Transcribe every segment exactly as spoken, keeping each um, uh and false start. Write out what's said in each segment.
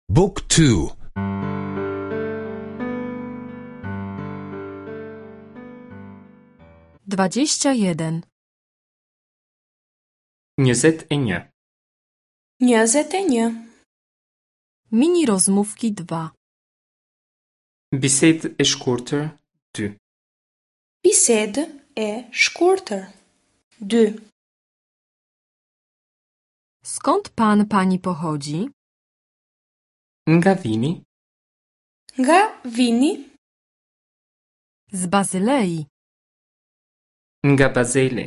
Book two. Dwadzieścia jeden. Njëzet e një. Njëzet e një. Mini rozmówki dwa. Bisedë e shkurtër dy. Bisedë e shkurtër. Dy. Skąd pan, pani pochodzi? Nga vini? Nga vini? Z Bazylei. Nga Bazeli.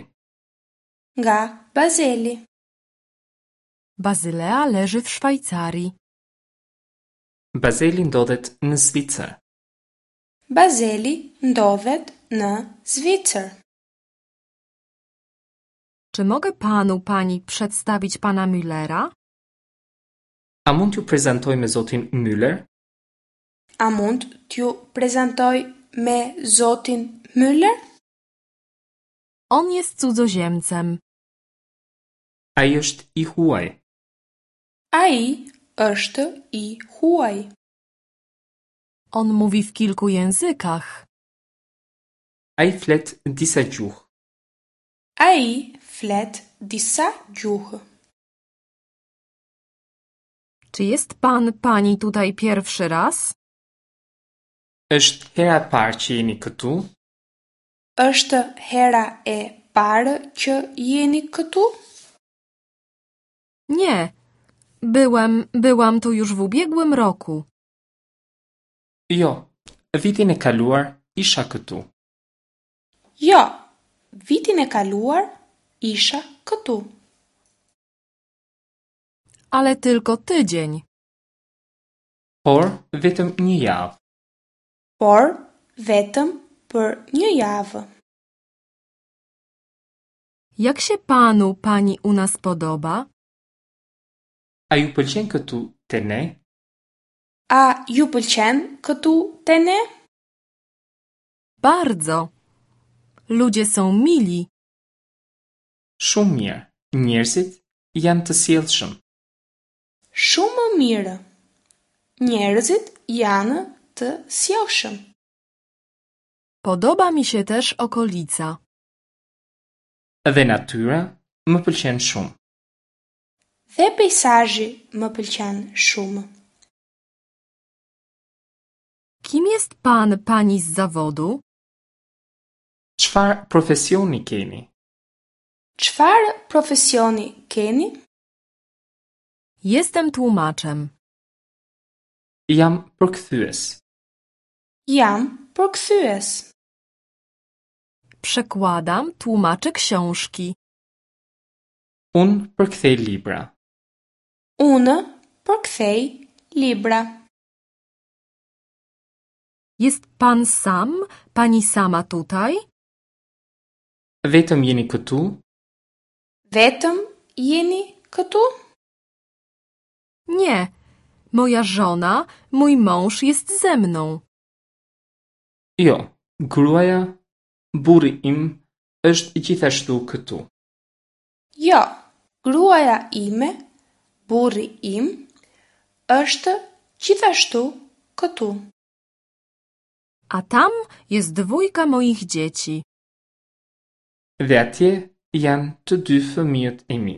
Nga Bazeli. Bazylea leży w Szwajcarii. Bazeli ndodhet në Zvicër. Bazeli ndodhet në Zvicër. Czy mogę panu, pani przedstawić pana Müllera? A mund t'ju prezantoj me zotin Müller? A mund t'ju prezantoj me zotin Müller? On jest cudzoziemcem. Ai është i huaj. Ai është i huaj. On mówi w kilku językach. Ai flet disa gjuhë. Ai flet disa gjuhë. Czy jest pan, pani tutaj pierwszy raz? Është hera e parë që jeni këtu? Është hera e parë që jeni këtu? Nie. Byłem, byłam tu już w ubiegłym roku. Jo, vitin e kaluar isha këtu. Jo, vitin e kaluar isha këtu. Ale tylko tydzień. Por vetëm një javë. Por vetëm për një javë. Jak się panu, pani u nas podoba? A ju pëlqen këtu te ne? A ju pëlqen këtu te ne? Bardzo. Ludzie są mili. Shumë mirë. Njerëzit janë të sjellshëm. Shumë mirë. Njerëzit janë të sjellshëm. Podoba mi się też okolica. Dhe natyra më pëlqen shumë. Dhe peizazhi më pëlqen shumë. Kim jest pan, pani z zawodu? Çfarë profesioni keni? Çfarë profesioni keni? Jestem tłumaczem. Jam përkthyes. Jam përkthyes. Przekładam, tłumaczę książki. Unë përkthej libra. Unë përkthej libra. Jest pan sam, pani sama tutaj? Vetëm jeni këtu? Vetëm jeni këtu? Nie. Moja żona, mój mąż jest ze mną. Jo, gruaja, burri im është gjithashtu këtu. Jo, gruaja ime, burri im, është gjithashtu këtu. A tam jest dwójka moich dzieci. Dhe atje janë të dy fëmijët e mi.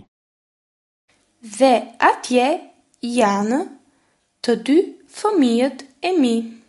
Dhe atje janë të dy fëmijët e mi.